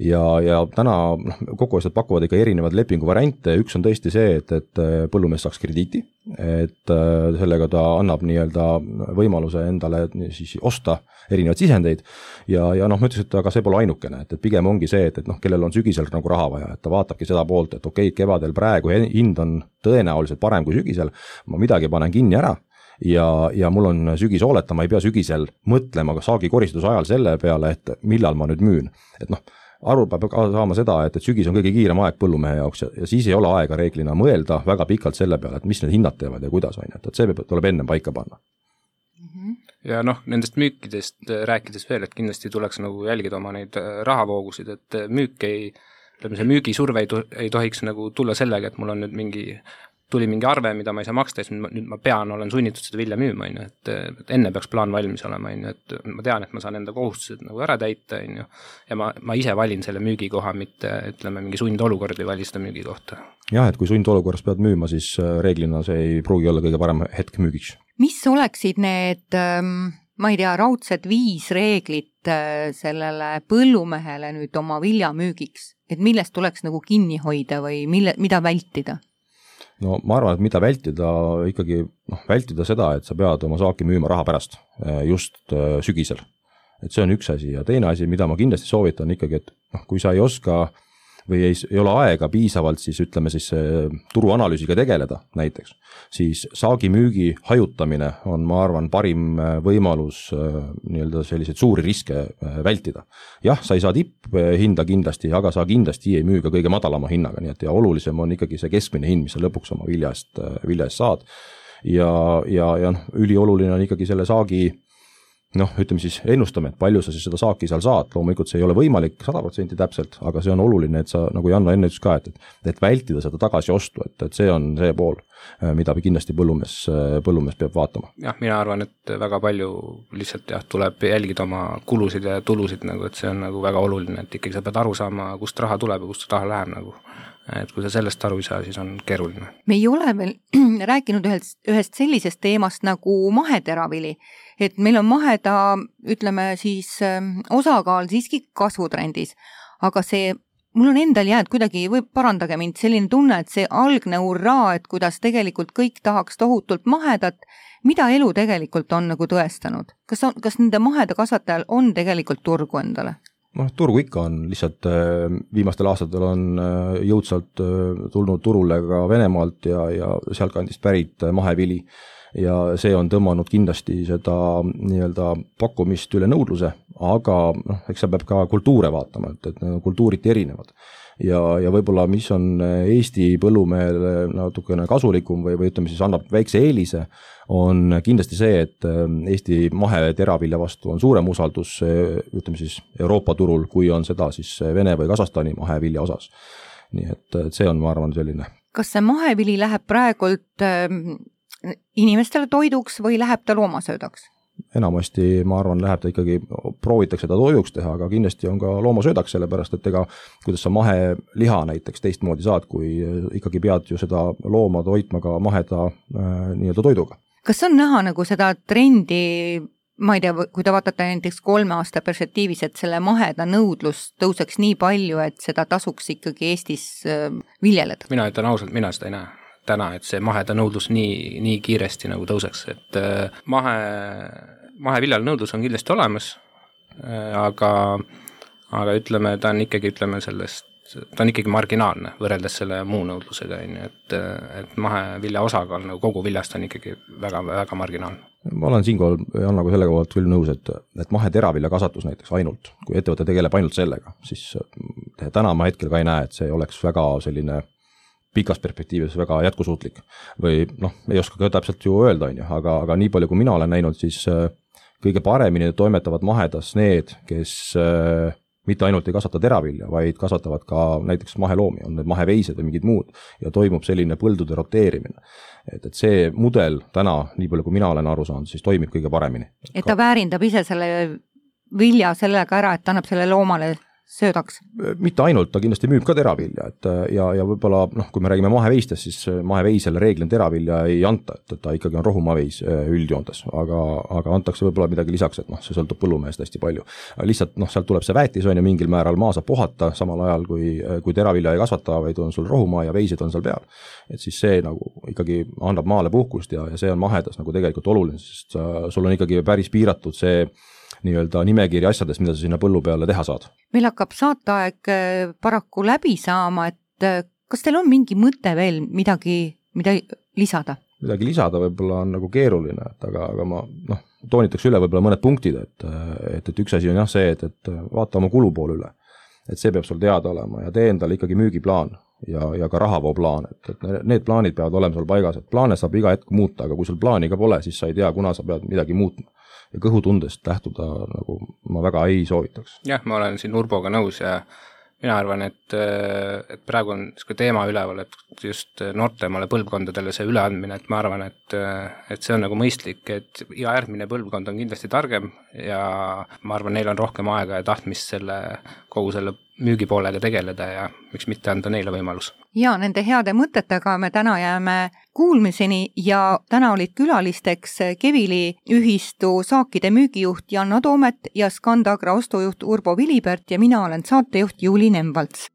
Ja, ja täna noh, kokkuostjad pakuvad ikka erinevad lepingu variante, üks on tõesti see, et, et põllumees saaks krediiti, et sellega ta annab nii-öelda võimaluse endale siis osta erinevaid sisendeid ja, ja noh, ma ütles, et aga see pole ainukene, et, et pigem ongi see, et, et noh, kellel on sügisel nagu raha vaja, et ta vaatabki seda poolt, et okei, kevadel praegu hind on tõenäoliselt parem kui sügisel, ma midagi panen kinni ära ja, ja mul on sügis hooleta, ma ei pea sügisel mõtlema saagi koristuse ajal selle peale, et millal ma nüüd müün, et noh, aru peab saama seda, et, et sügis on kõige kiirem aeg põllumehe jaoks ja, ja siis ei ole aega reeglina mõelda väga pikalt selle peale, et mis need hinnad teevad ja kuidas on, et, et see tuleb enne paika panna. Ja noh, nendest müükidest rääkides veel, et kindlasti tuleks nagu jälgida oma neid rahavoogusid, et müük ei, ütleme see müügisurve ei, to, ei tohiks nagu tulla sellega, et mul on nüüd mingi tuli mingi arve, mida ma ei saa maksta, siis nüüd ma pean, olen sunnitud seda vilja müüma, et, et enne peaks plaan valmis olema, et ma tean, et ma saan enda kohustused nagu ära täita, ja ma, ma ise valin selle müügikoha, mitte ütleme mingi sundolukord ei vali seda müügikohta. Jah, et kui sundolukorras pead müüma, siis reeglina see ei pruugi olla kõige parem hetk müügiks. Mis oleksid need, ma ei tea, raudsed viis reeglit sellele põllumehele nüüd oma vilja müügiks, et millest tuleks nagu kinni hoida või mille, mida vältida? No ma arvan, et mida vältida, ikkagi noh, vältida seda, et sa pead oma saaki müüma raha pärast, just sügisel. Et see on üks asi ja teine asi, mida ma kindlasti soovitan ikkagi, et noh, kui sa ei oska või ei, ei ole aega piisavalt, siis ütleme siis turuanalüüsiga tegeleda näiteks, siis saagi müügi hajutamine on, ma arvan, parim võimalus nii-öelda selliseid suuri riske vältida. Jah, sa ei saa tipphinda kindlasti, aga sa kindlasti ei müü ka kõige madalama hinnaga, nii et ja olulisem on ikkagi see keskmine hind, mis sa lõpuks oma vilja eest, vilja eest saad. Ja, ja, ja noh, ülioluline on ikkagi selle saagi noh, ütleme siis ennustame, et palju sa siis seda saaki seal saad, loomulikult see ei ole võimalik sada protsenti täpselt, aga see on oluline, et sa nagu Janno enne ütles ka, et, et vältida seda tagasi ostu, et, et see on see pool, mida kindlasti põllumees, põllumees peab vaatama. Jah, mina arvan, et väga palju lihtsalt jah, tuleb jälgida oma kulusid ja tulusid, nagu, et see on nagu väga oluline, et ikkagi sa pead aru saama, kust raha tuleb ja kust raha läheb nagu. Et kui sa sellest aru ei saa, siis on keeruline. Me ei ole veel rääkinud ühest, ühest sellisest teemast nagu maheteravili, et meil on maheda, ütleme siis osakaal siiski kasvutrendis, aga see, mul on endal jääd kuidagi, või parandage mind, selline tunne, et see algne hurraa, et kuidas tegelikult kõik tahaks tohutult mahedat, mida elu tegelikult on nagu tõestanud? Kas, on, kas nende maheda kasvatajal on tegelikult turgu endale? noh, turgu ikka on, lihtsalt viimastel aastatel on jõudsalt tulnud turule ka Venemaalt ja, ja sealtkandist pärit mahevili ja see on tõmmanud kindlasti seda nii-öelda pakkumist üle nõudluse, aga noh, eks see peab ka kultuure vaatama, et, et kultuuriti erinevad. Ja, ja võib-olla mis on Eesti põllumehele natukene kasulikum või, või ütleme siis annab väikse eelise, on kindlasti see, et Eesti maheteravilja vastu on suurem usaldus ütleme siis Euroopa turul, kui on seda siis Vene või Kasahstani mahevilja osas. Nii et see on, ma arvan, selline. Kas see mahevili läheb praegult inimestele toiduks või läheb ta loomasöödaks? Enamasti, ma arvan, läheb ta ikkagi, proovitakse ta toiduks teha, aga kindlasti on ka loomasöödaks, sellepärast et ega kuidas sa maheliha näiteks teistmoodi saad, kui ikkagi pead ju seda looma toitma ka maheda äh, nii-öelda toiduga. Kas on näha nagu seda trendi, ma ei tea, kui te vaatate näiteks kolme aasta perspektiivis, et selle maheda nõudlus tõuseks nii palju, et seda tasuks ikkagi Eestis äh, viljeleda? Mina ütlen ausalt, mina seda ei näe täna, et see maheda nõudlus nii, nii kiiresti nagu tõuseks, et mahe, maheviljal nõudlus on kindlasti olemas, aga, aga ütleme, ta on ikkagi, ütleme sellest, ta on ikkagi marginaalne võrreldes selle muu nõudlusega, et, et mahevilja osakaal nagu kogu viljast on ikkagi väga, väga marginaalne. Ma olen siinkohal Jannaga selle kohalt küll nõus, et, et maheteravilja kasvatus näiteks ainult, kui ettevõte tegeleb ainult sellega, siis täna ma hetkel ka ei näe, et see oleks väga selline pikas perspektiivis väga jätkusuutlik või noh, ei oska ka täpselt ju öelda, on ju, aga, aga nii palju, kui mina olen näinud, siis kõige paremini toimetavad mahedas need, kes mitte ainult ei kasvata teravilja, vaid kasvatavad ka näiteks maheloomi, on need maheveised või mingid muud ja toimub selline põldude roteerimine. Et, et see mudel täna, nii palju kui mina olen aru saanud, siis toimib kõige paremini. Et ta väärindab ise selle vilja sellega ära, et annab selle loomale söödaks? Mitte ainult, ta kindlasti müüb ka teravilja, et ja, ja võib-olla noh, kui me räägime maheveistest, siis maheveisele reeglina teravilja ei anta, et ta ikkagi on rohumaveis üldjoontes, aga, aga antakse võib-olla midagi lisaks, et noh, see sõltub põllumehest hästi palju. Lihtsalt noh, sealt tuleb see väetis on ja mingil määral maa saab puhata samal ajal, kui, kui teravilja ei kasvata, vaid on sul rohumaa ja veised on seal peal. Et siis see nagu ikkagi annab maale puhkust ja, ja see on mahedas nagu tegelikult oluline, sest sul on ikkagi päris piiratud see nii-öelda nimekiri asjades, mida sa sinna põllu peale teha saad. Meil hakkab saateaeg paraku läbi saama, et kas teil on mingi mõte veel midagi, mida lisada? Midagi lisada võib-olla on nagu keeruline, et aga, aga ma noh, toonitaks üle võib-olla mõned punktid, et, et, et üks asi on jah see, et, et vaata oma kulupool üle. Et see peab sul teada olema ja tee endale ikkagi müügiplaan ja, ja ka rahavoo-plaan, et, et need plaanid peavad olema sul paigas, et plaane saab iga hetk muuta, aga kui sul plaani ka pole, siis sa ei tea, kuna sa pead midagi muutma. Ja kõhutundest lähtuda nagu ma väga ei soovitaks. Jah, ma olen siin Urboga nõus ja mina arvan, et, et praegu on niisugune teema üleval, et just noortemale põlvkondadele see üleandmine, et ma arvan, et, et see on nagu mõistlik, et iga järgmine põlvkond on kindlasti targem ja ma arvan, neil on rohkem aega ja tahtmist selle, kogu selle müügipoolega tegeleda ja miks mitte anda neile võimalus. Ja nende heade mõtetega me täna jääme kuulmiseni ja täna olid külalisteks Kevili ühistu saakide müügijuht Janna Toomet ja Scandagra ostujuht Urbo Vilibert ja mina olen saatejuht Juuli Nemvalts.